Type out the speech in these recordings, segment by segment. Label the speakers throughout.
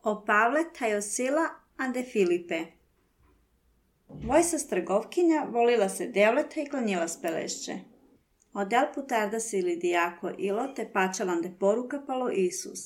Speaker 1: o Pavle Tajosila ande Filipe. Vojsa strgovkinja volila se devleta i klanjila spelešće. Odel putarda sili dijako ilo te pačalande poruka palo Isus.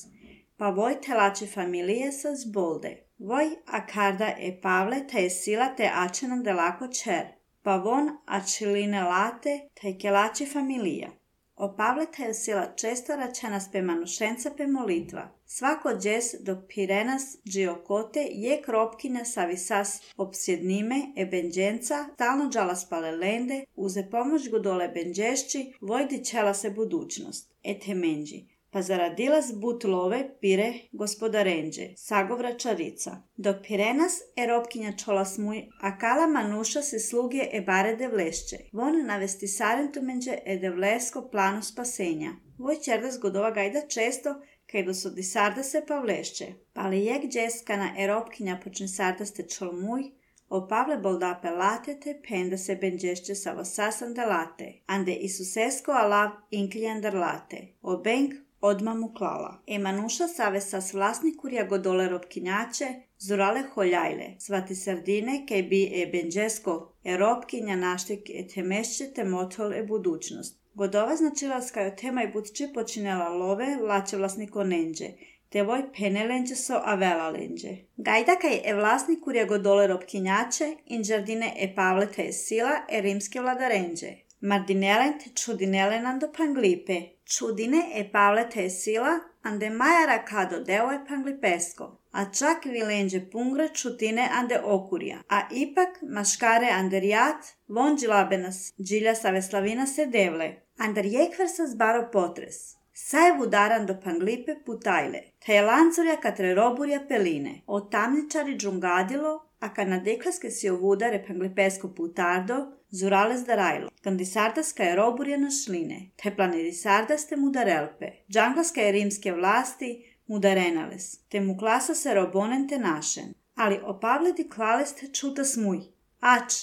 Speaker 1: Pa voj telače familije sa zbolde. Voj akarda e Pavle Tajosila te ačenan de lako čer. Pa von ačiline late te kelače familija. O Pavle Tajosila često račenas pe manušenca pe molitva. Svako džes dok pirenas džiokote je kropkina savisas opsjednime e benđenca stalno džalas palelende, uze pomoć go dole benđešći, vojdi čela se budućnost. Ete menđi. Pa zaradilas but love pire gospodarenđe, sagovra čarica. Dok pirenas e ropkinja čolas muj, a kala manuša se sluge e bare de vlešće. Von navesti sarentumenđe e de vlesko planu spasenja. Voj čerdas godova gajda često, kaj do sodi sarda se pa vlešće. Pali jek džeskana e ropkinja počne sardaste čol muj, o Pavle boldape latete penda se benđešće sa vosasan de late, ande Isusesko alav inklijandar late. O benk odma mu klala. E manuša savesa s vlasnikurja godole ropkinjače, zurale holjajle, svati sardine kaj bi e benđesko e ropkinja naštek e temešće te motol e budućnost. Godova značila skajo tema i budči počinela love lače vlasniko nenđe, te voj penelenđe so avela lenđe. Gajda kaj e vlasnikurja godole ropkinjače, inđardine e Pavle Tajosila e rimske vladarenđe. Mardinelen te čudinelen ando panglipe. Čudine e Pavle Tajosila ande majara kado deo e panglipesko. A čak vilenđe pungre čutine ande okurja. A ipak maškare ande rijat von džilabenas džilja saveslavina se devle. Andar jekver sa zbaro potres. Saje vudaran do panglipe putajle. Te je lancurja katre roburja peline. O tamničari džungadilo, a kad na deklaske si ovudare panglipesko putardo, zurales darajlo. Kandisardaska je roburja na šline. Te planedisardaste mudarelpe. Džanglaska je rimske vlasti mudarenales. Te mu klasa se robonen te našen. Ali o Pavledi klaleste čuta smuj. Ač,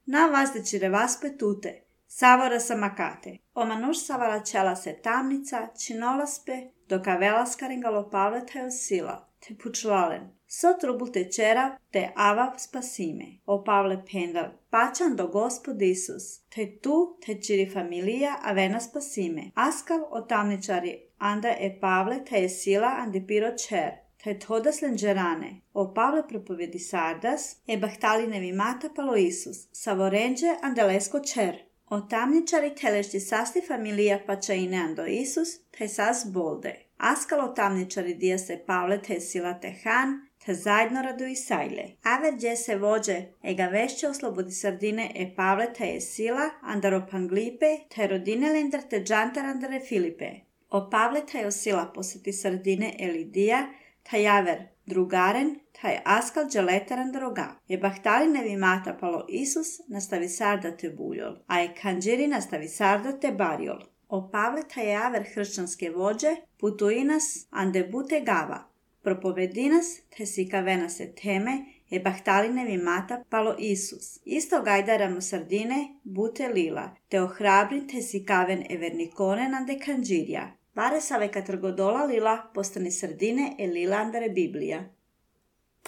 Speaker 1: na vazdeći revaspe tute. Savora sa makate. O manuš savala čela se tamnica, činolaspe, dok avela skaringalo Pavle Tajosila, te pučvalen. So trubul te čera, te ava spasime. O Pavle pendal, pačan do Gospod Isus, te tu, te čiri familija, avena spasime. Askav o tamničari, anda e Pavle Tajosila, ande piro čer. Te todas lenđerane, o Pavle propovedi sardas, e bahtalinevi mata palo Isus, savorenđe andelesko čer. O tamničari telešti sasti familija pačaine ando Isus, te sas bolde. Askalo tamničari dija se Pavle Tajosila te han, te zajedno radu i sajle. Aver gdje se vođe, ega vešće oslobodi sardine e Pavle Tajosila, andaro panglipe, te rodine lendar te džantar andare Filipe. O Pavle Tajosila posjeti sardine e Lidija, taj javer drugaren, taj askal dželetaran droga. Je bahtalinevi mata palo Isus, nastavi sarda te buljol, a je kanđiri nastavi sarda te barjol. O Pavle taj javer hršćanske vođe, putuinas ande bute gava. Propovedinas te sikavena se teme, je bahtalinevi mata palo Isus. Isto gajdaramo sardine, bute lila, te ohrabrin te sikaven evernikonen ande kanđirja. Bare save katrgodola lila postane sardine e lila andare Biblija.